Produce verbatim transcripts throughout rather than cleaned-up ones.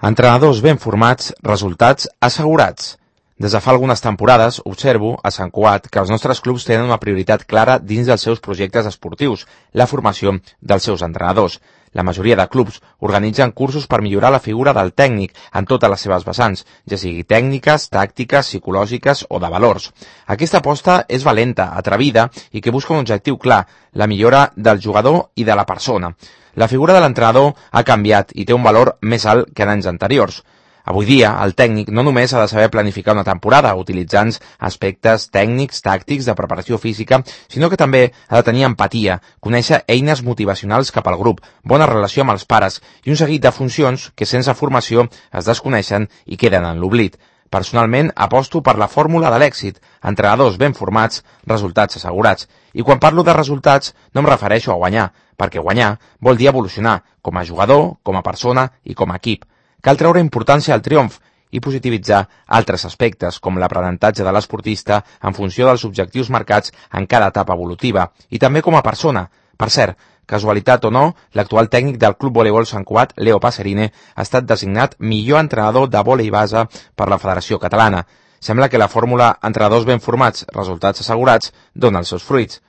Entrenadors ben formats, resultats assegurats. Des de fa algunes temporades observo a Sant Cugat que els nostres clubs tenen una prioritat clara dins dels seus projectes esportius, la formació dels seus entrenadors. La majoria de clubs organitzen cursos per millorar la figura del tècnic en totes les seves vessants, ja sigui tècniques, tàctiques, psicològiques o de valors. Aquesta aposta és valenta, atrevida i que busca un objectiu clar, la millora del jugador i de la persona. La figura de l'entrenador ha canviat i té un valor més alt que en anys anteriors. Avui dia, el tècnic no només ha de saber planificar una temporada utilitzant aspectes tècnics, tàctics, de preparació física, sinó que també ha de tenir empatia, conèixer eines motivacionals cap al grup, bona relació amb els pares i un seguit de funcions que sense formació es desconeixen i queden en l'oblit. Personalment, aposto per la fórmula de l'èxit, entrenadors ben formats, resultats assegurats. I quan parlo de resultats, no em refereixo a guanyar, perquè guanyar vol dir evolucionar, com a jugador, com a persona i com a equip. Cal treure importància al triomf i positivitzar altres aspectes, com l'aprenentatge de l'esportista en funció dels objectius marcats en cada etapa evolutiva, i també com a persona. Per cert, casualitat o no, l'actual tècnic del Club Voleibol Sant Cugat, Leo Passerine, ha estat designat millor entrenador de vòlei base per la Federació Catalana. Sembla que la fórmula entrenadors ben formats, resultats assegurats, dona els seus fruits.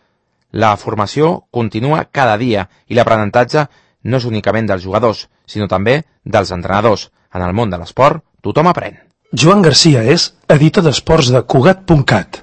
La formació continua cada dia i l'aprenentatge no és únicament dels jugadors, sinó també dels entrenadors. En el món de l'esport, tothom aprèn. Joan Garcia és editor d'esports de Cugat punt cat.